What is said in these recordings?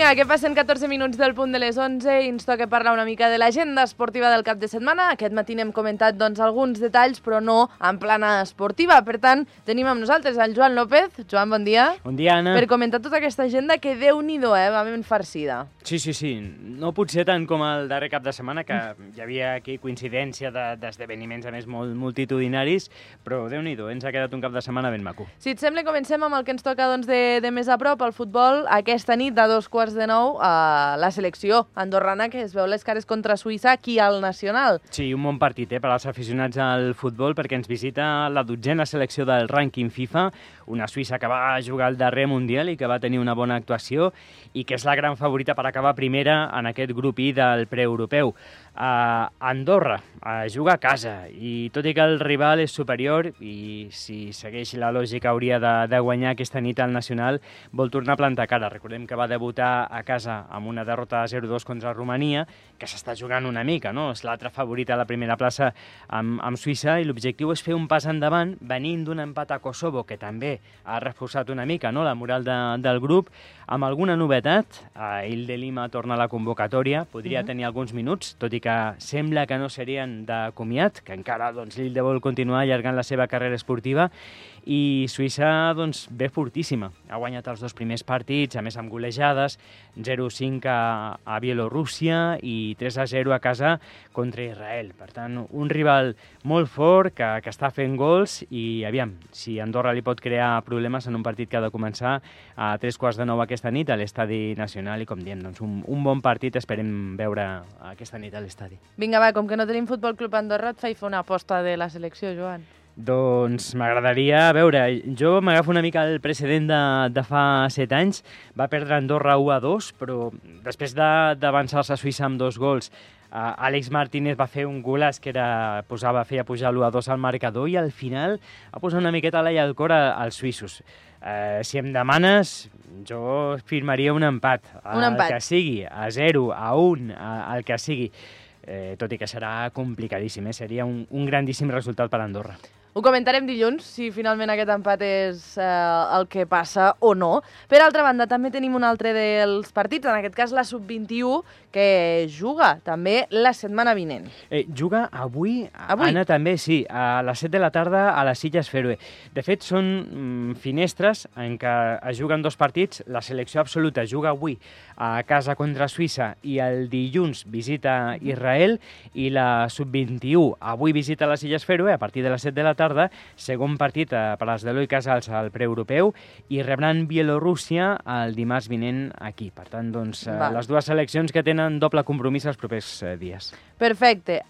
Vinga, que passen 14 minuts del punt de les 11 i ens toca parlar una mica de l'agenda esportiva del cap de setmana. Aquest matí n'hem comentat alguns detalls, però no en plana esportiva. Per tant, tenim amb nosaltres el Joan López. Joan, bon dia. Bon dia, Anna. Per comentar tota aquesta agenda que Déu-n'hi-do, va ben farcida. Sí. No potser tant com el darrer cap de setmana, que hi havia aquí coincidència d'esdeveniments, a més, molt multitudinaris, però Déu-n'hi-do, ens ha quedat un cap de setmana ben maco. Si et sembla, comencem amb el que ens toca de més a prop, el futbol. Aquesta nit, a 8:45, la selecció andorrana, que es veu les cares contra Suïssa aquí al Nacional. Sí, un bon partit per als aficionats al futbol, perquè ens visita la 12a selecció del rànquing FIFA, una Suïssa que va jugar al darrer Mundial i que va tenir una bona actuació i que és la gran favorita per acabar primera en aquest grup I del preeuropeu. Andorra juga a casa i tot i que el rival és superior i si segueix la lògica hauria de guanyar aquesta nit al Nacional, vol tornar a plantar cara. Recordem que va debutar a casa amb una derrota 0-2 contra Romania, que s'està jugant una mica, no? És l'altra favorita a la primera plaça amb Suïssa i l'objectiu és fer un pas endavant venint d'un empat a Kosovo, que també ha reforçat una mica, no?, la moral del grup, amb alguna novetat. Il de Lima torna a la convocatòria, podria tenir alguns minuts, tot i que sembla que no serien de comiat, que encara l'Ilde vol continuar allargant la seva carrera esportiva, i Suïssa ve fortíssima. Ha guanyat els dos primers partits, a més amb golejades, 0-5 a Bielorússia i 3-0 a casa contra Israel. Per tant, un rival molt fort que està fent gols i aviam, si Andorra li pot crear problemes en un partit que ha de començar a 8:45 aquesta nit a l'Estadi Nacional i, com diem, un bon partit esperem veure aquesta nit a l'estadi. Vinga, va, com que no tenim Futbol Club Andorra, et faig fer una aposta de la selecció, Joan. Doncs m'agradaria veure, jo m'agafo una mica el precedent de fa 7 anys, va perdre Andorra 1-2, però després d'avançar-se a Suïssa amb 2 gols, Àlex Martínez va fer un golaç que feia pujar l'1-2 al marcador i al final va posar una miqueta l'ai al cor als suïssos. Si em demanes, jo firmaria un empat. El que sigui, a 0, a 1, el que sigui. Tot i que serà complicadíssim, seria un grandíssim resultat per a Andorra. Ho comentarem dilluns, si finalment aquest empat és el que passa o no. Per altra banda, també tenim un altre dels partits, en aquest cas la Sub-21, que juga també la setmana vinent. Juga avui? Anna, també, sí, a les 7 de la tarda a les Illes Fèroe. De fet, són finestres en què es juguen 2 partits. La selecció absoluta juga avui a casa contra Suïssa i el dilluns visita Israel, i la Sub-21 avui visita les Illes Fèroe a partir de les 7 de la tarda, segon partit per als d'Eloi Casals al preeuropeu, i rebran Bielorússia el dimarts vinent aquí. Per tant, les dues seleccions que tenen doble compromís els propers dies. Perfecte.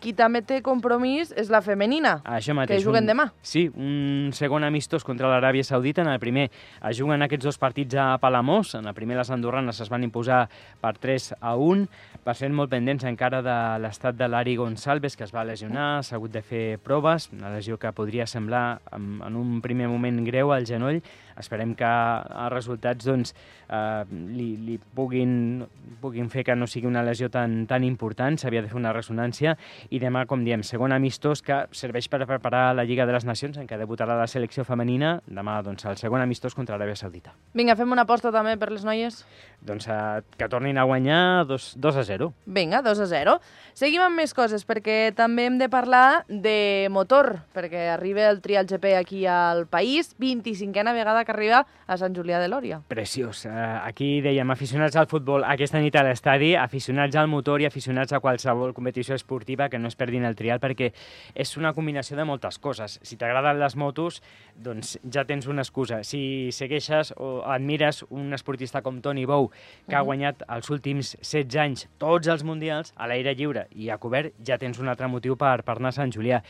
Qui també té compromís és la femenina, això mateix, que juguen demà. Sí, un segon amistós contra l'Aràbia Saudita. En el primer es juguen aquests 2 partits a Palamós. En el primer les andorranes es van imposar per 3-1. Per ser molt pendents encara de l'estat de l'Ari Gonçalves, que es va lesionar, s'ha hagut de fer proves, una lesió que podria semblar en un primer moment greu al genoll. Esperem que els resultats li puguin fer que no sigui una lesió tan important. S'havia de fer una ressonància, i demà, com diem, segon amistós que serveix per preparar la Lliga de les Nacions, en què debutarà la selecció femenina. Demà, el segon amistós contra l'Aràbia Saudita. Vinga, fem una aposta també per les noies? Que tornin a guanyar 2-0. Vinga, 2-0. Seguim amb més coses, perquè també hem de parlar de motor, perquè arriba el Trial GP aquí al país, 25a vegada que arriba a Sant Julià de Lòria. Preciós. Aquí dèiem, aficionats al futbol aquesta nit a l'estadi, aficionats al motor i aficionats a qualsevol competició esportiva, que no es perdin el Trial, perquè és una combinació de moltes coses. Si t'agraden les motos, doncs ja tens una excusa. Si segueixes o admires un esportista com Toni Bou, que ha guanyat els últims 16 anys tots els mundials a l'aire lliure i a cobert, ja tens un altre motiu per anar a Sant Julià.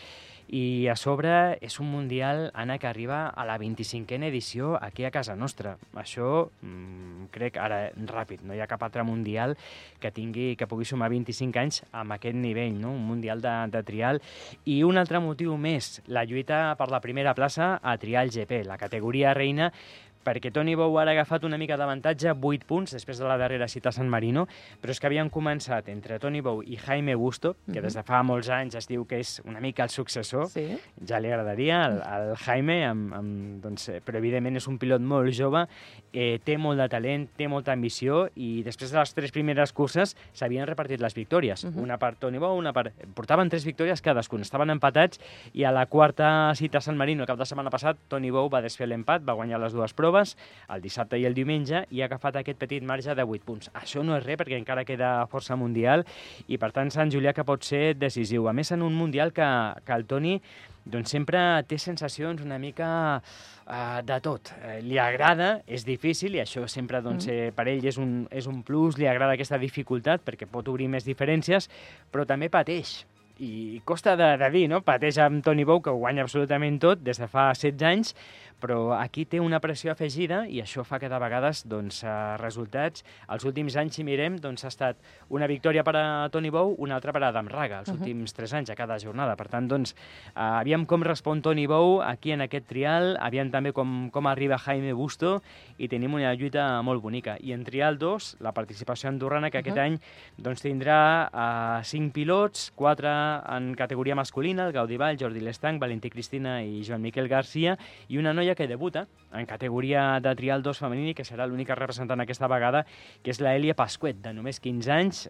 I a sobre és un mundial, Anna, que arriba a la 25a edició aquí a casa nostra. Això, crec, ara ràpid, no hi ha cap altre mundial que pugui sumar 25 anys amb aquest nivell, no? Un mundial de trial. I un altre motiu més, la lluita per la primera plaça a Trial GP, la categoria reina, perquè Toni Bou ara ha agafat una mica d'avantatge, 8 punts, després de la darrera cita a San Marino, però és que havien començat entre Toni Bou i Jaime Busto, que des de fa molts anys es diu que és una mica el successor, ja li agradaria al Jaime, doncs, però evidentment és un pilot molt jove, té molt de talent, té molta ambició, i després de les 3 primeres curses s'havien repartit les victòries, una per Toni Bou, una per... Portaven 3 victòries cadascun, estaven empatats, i a la quarta cita a San Marino, el cap de setmana passat, Toni Bou va desfer l'empat, va guanyar les 2 proves, el dissabte i el diumenge, i ha agafat aquest petit marge de 8 punts. Això no és res, perquè encara queda força mundial, i per tant Sant Julià que pot ser decisiu. A més, en un mundial que el Toni doncs, sempre té sensacions una mica de tot. Li agrada, és difícil, i això sempre doncs, per ell és un plus, li agrada aquesta dificultat, perquè pot obrir més diferències, però també pateix. I costa de dir, no? Pateix amb Toni Bou, que ho guanya absolutament tot des de fa 16 anys, però aquí té una pressió afegida i això fa que de vegades doncs, resultats, els últims anys, si mirem, doncs, ha estat una victòria per a Toni Bou, una altra per a Adam Raga, els últims 3 anys a cada jornada. Per tant, doncs, aviam com respon Toni Bou aquí en aquest trial, aviam també com arriba Jaime Busto, i tenim una lluita molt bonica. I en trial 2, la participació andorrana, que aquest any doncs, tindrà 5 pilots, 4 en categoria masculina, el Gaudí Vall, Jordi Lestanc, Valentí Cristina i Joan Miquel Garcia, i una noia que debuta en categoria de trial 2 femení, que serà l'única representant aquesta vegada, que és la Elia Pasquet, de només 15 anys.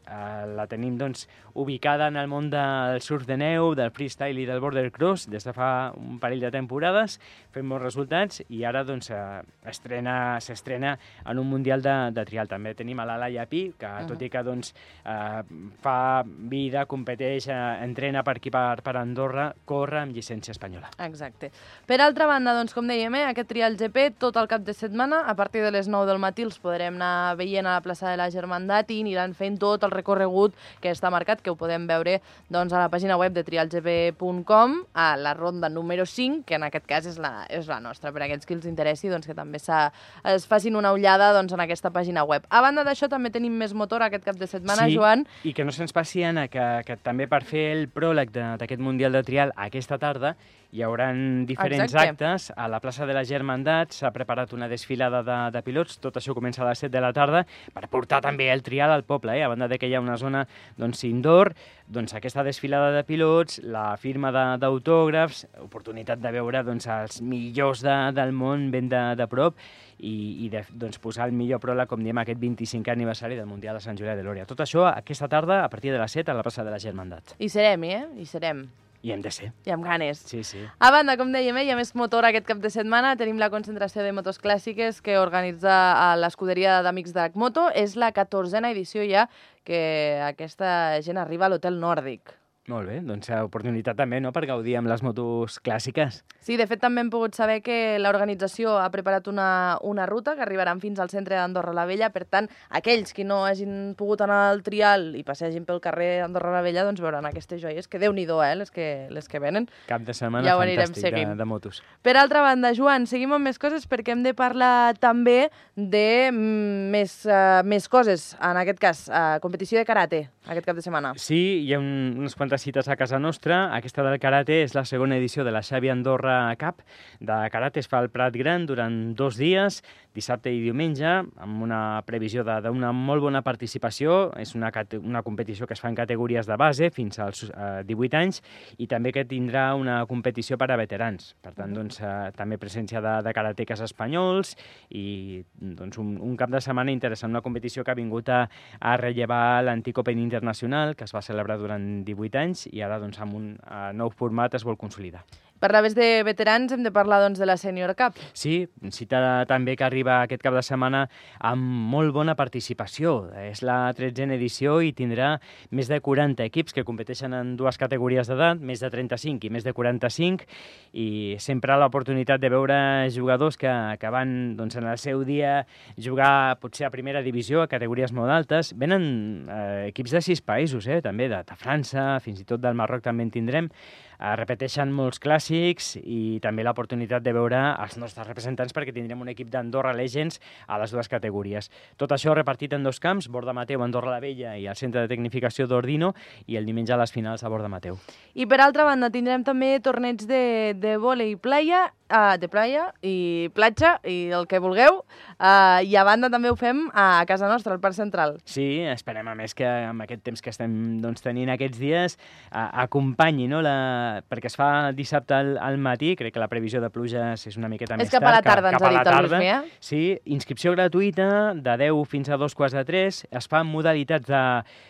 La tenim doncs, ubicada en el món del surf de neu, del freestyle i del border cross des de fa un parell de temporades, fent molts resultats, i ara doncs, s'estrena en un mundial de trial. També tenim a la Laia Pi, que tot i que doncs, fa vida, competeix, entrena per aquí per Andorra, corre amb llicència espanyola. Exacte. Per altra banda, doncs, com dèiem, aquest trial GP tot el cap de setmana, a partir de les 9 del matí els podrem anar veient a la plaça de la Germandat i aniran fent tot el recorregut que està marcat, que ho podem veure doncs, a la pàgina web de trialgp.com, a la ronda número 5, que en aquest cas és la nostra, per a aquells que els interessi, doncs, que també es facin una ullada doncs, en aquesta pàgina web. A banda d'això, també tenim més motor aquest cap de setmana, Joan. I que no se'ns passi, Anna, que també per fer el pròleg d'aquest Mundial de Trial aquesta tarda hi haurà diferents actes. A la plaça de la Germandat s'ha preparat una desfilada de pilots, tot això comença a les 7 de la tarda, per portar també el trial al poble, a banda de que hi ha una zona doncs, indoor, doncs aquesta desfilada de pilots, la firma d'autògrafs, oportunitat de veure doncs, els millors del món ben de prop, i doncs, posar el millor pròleg, com diem, aquest 25è aniversari del Mundial de Sant Julià de Lòria. Tot això aquesta tarda, a partir de les 7, a la plaça de la Germandat. Hi serem, Hi serem. I hem de ser. I amb ganes. Sí, sí. A banda, com dèiem, hi ha més motor aquest cap de setmana. Tenim la concentració de motos clàssiques que organitza l'escuderia d'Amics d'Arcmoto. És la 14a edició ja que aquesta gent arriba a l'Hotel Nòrdic. Molt bé, doncs oportunitat també, no?, per gaudir amb les motos clàssiques. Sí, de fet també hem pogut saber que l'organització ha preparat una ruta que arribaran fins al centre d'Andorra la Vella. Per tant, aquells que no hagin pogut anar al trial i passegin pel carrer d'Andorra la Vella, doncs veuran aquestes joies, que Déu-n'hi-do, les que venen. Cap de setmana ja fantàstic de motos. Per altra banda, Joan, seguim amb més coses perquè hem de parlar també de més coses. En aquest cas, competició de karate, aquest cap de setmana. Sí, hi ha unes quantes cites a casa nostra. Aquesta del karate és la segona edició de la Xavi Andorra Cup. De karate es fa al Prat Gran durant 2 dies, dissabte i diumenge, amb una previsió d'una molt bona participació. És una competició que es fa en categories de base fins als 18 anys, i també que tindrà una competició per a veterans. Per tant, doncs, també presència de karateques espanyols, i doncs, un cap de setmana interessant, una competició que ha vingut a rellevar l'antic Open Internacional, que es va celebrar durant 18 anys, i ara doncs, amb un nou format es vol consolidar. Parlaves de veterans, hem de parlar doncs, de la Senior Cup. Sí, cita també que arriba aquest cap de setmana amb molt bona participació. És la 13a edició i tindrà més de 40 equips que competeixen en 2 categories d'edat, més de 35 i més de 45, i sempre l'oportunitat de veure jugadors que van doncs, en el seu dia jugar potser a primera divisió, a categories molt altes. Venen equips de 6 països, també de França, fins i tot del Marroc també en tindrem. Repeteixen molts clàssics, i també l'oportunitat de veure els nostres representants, perquè tindrem un equip d'Andorra Legends a les 2 categories. Tot això repartit en 2 camps, Borda Mateu, Andorra la Vella, i el centre de tecnificació d'Ordino, i el diumenge a les finals a Borda Mateu. I per altra banda tindrem també torneigs de vòlei playa de playa i platja i el que vulgueu. I a banda també ho fem a casa nostra, al Parc Central. Sí, esperem a més que amb aquest temps que estem tenint aquests dies acompanyi, no? Perquè es fa dissabte al matí, crec que la previsió de pluges és una miqueta més tard. És cap a la tarda, ens ha dit el Luismi, Sí, inscripció gratuïta de 10 fins a 2:45. Es fa modalitats de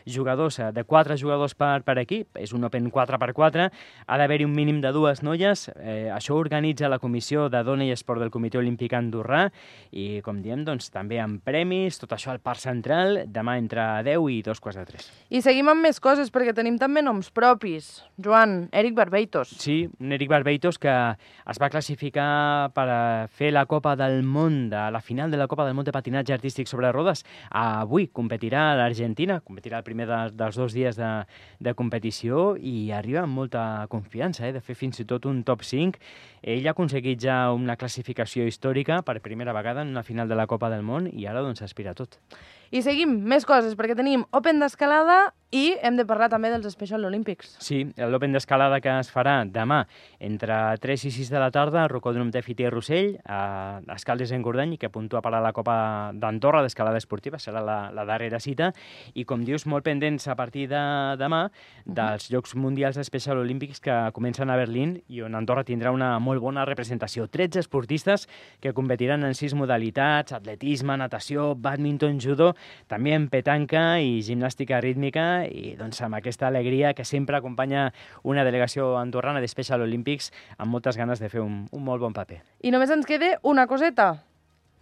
jugadors, de 4 jugadors per equip, és un Open 4x4, ha d'haver-hi un mínim de 2 noies, això organitza la Comissió de Dona i Esport del Comitè Olímpic Andorrà i, com diem, doncs, també amb premis, tot això al Parc Central, demà entre 10 i 2:45. I seguim amb més coses, perquè tenim també noms propis. Joan, Eric Barbeitos. Sí, un Eric Barbeitos que es va classificar per fer la Copa del Món, la final de la Copa del Món de patinatge artístic sobre rodes. Avui competirà a l'Argentina, competirà el primer dels 2 dies de competició i arriba amb molta confiança, de fer fins i tot un top 5. Ell ha aconseguit ja una classificació històrica per primera vegada en una final de la Copa del Món i ara doncs aspira a tot. I seguim, més coses, perquè tenim Open d'escalada i hem de parlar també dels Special Olympics. Sí, l'Open d'escalada que es farà demà entre 3 i 6 de la tarda al Rocòdrom de Fiter Rossell, a Escaldes en Gordany, que puntua per a la Copa d'Andorra d'escalada esportiva, serà la darrera cita, i com dius, molt pendents a partir de demà dels Jocs Mundials Special Olímpics que comencen a Berlín i on Andorra tindrà una molt bona representació. 13 esportistes que competiran en 6 modalitats, atletisme, natació, bàdminton, judo, també en petanca i gimnàstica rítmica, i doncs amb aquesta alegria que sempre acompanya una delegació andorrana de Special Olympics amb moltes ganes de fer un molt bon paper. I només ens queda una coseta.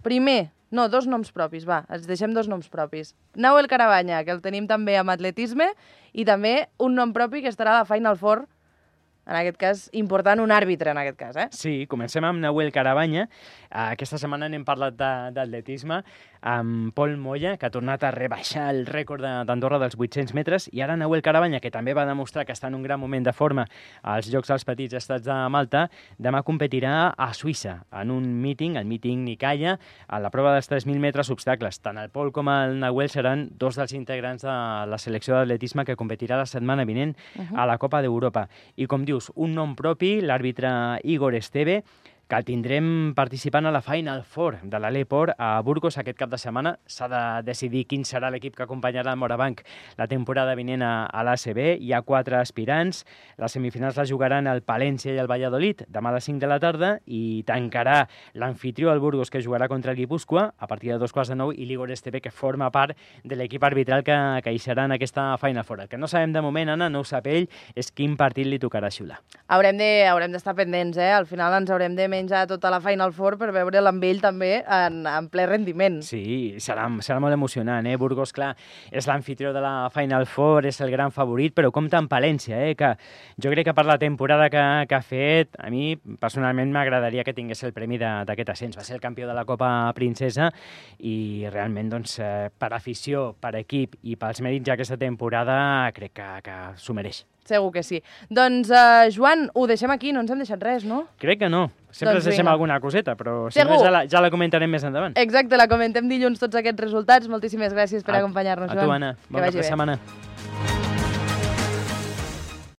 Primer, no, 2 noms propis, va, ens deixem 2 noms propis. Nahuel Carabanya, que el tenim també amb atletisme, i també un nom propi que estarà a la Final Four, en aquest cas, important, un àrbitre, en aquest cas, Sí, comencem amb Nahuel Carabanya. Aquesta setmana n'hem parlat d'atletisme amb Pol Moya, que ha tornat a rebaixar el rècord d'Andorra dels 800 metres, i ara Nahuel Carabanya, que també va demostrar que està en un gran moment de forma als Jocs dels Petits Estats de Malta, demà competirà a Suïssa, en un míting, el míting Nikaya, a la prova dels 3.000 metres obstacles. Tant el Pol com el Nahuel seran 2 dels integrants de la selecció d'atletisme que competirà la setmana vinent a la Copa d'Europa. I com dius, un nom propi, l'àrbitre Igor Esteve, que el tindrem participant a la Final Four de l'Aleport a Burgos aquest cap de setmana. S'ha de decidir quin serà l'equip que acompanyarà el Morabanc la temporada vinent a l'ACB. Hi ha 4 aspirants. Les semifinals les jugaran el Palència i el Valladolid demà a les 5 de la tarda i tancarà l'anfitrió el Burgos, que jugarà contra el Guipúscoa a partir de 2:15 i l'Igor Esteve, que forma part de l'equip arbitral que hi serà en aquesta Final Four. El que no sabem de moment, Anna, no ho sap ell, és quin partit li tocarà xiular. Haurem d'estar pendents, Al final ens haurem de menjar tota la Final Four per veure'l amb ell també en ple rendiment. Sí, serà molt emocionant, Burgos, clar, és l'anfitrió de la Final Four, és el gran favorit, però compta amb Palència, que jo crec que per la temporada que ha fet, a mi personalment m'agradaria que tingués el premi d'aquest ascens. Va ser el campió de la Copa Princesa i realment, doncs, per afició, per equip i pels mèrits d'aquesta temporada, crec que s'ho mereix. Segur que sí. Doncs, Joan, ho deixem aquí, no ens hem deixat res, no? Crec que no. Sempre ens deixem alguna coseta, però si no ja la comentarem més endavant. Exacte, la comentem dilluns tots aquests resultats. Moltíssimes gràcies per acompanyar-nos, Joan. A tu, Anna. Bona setmana.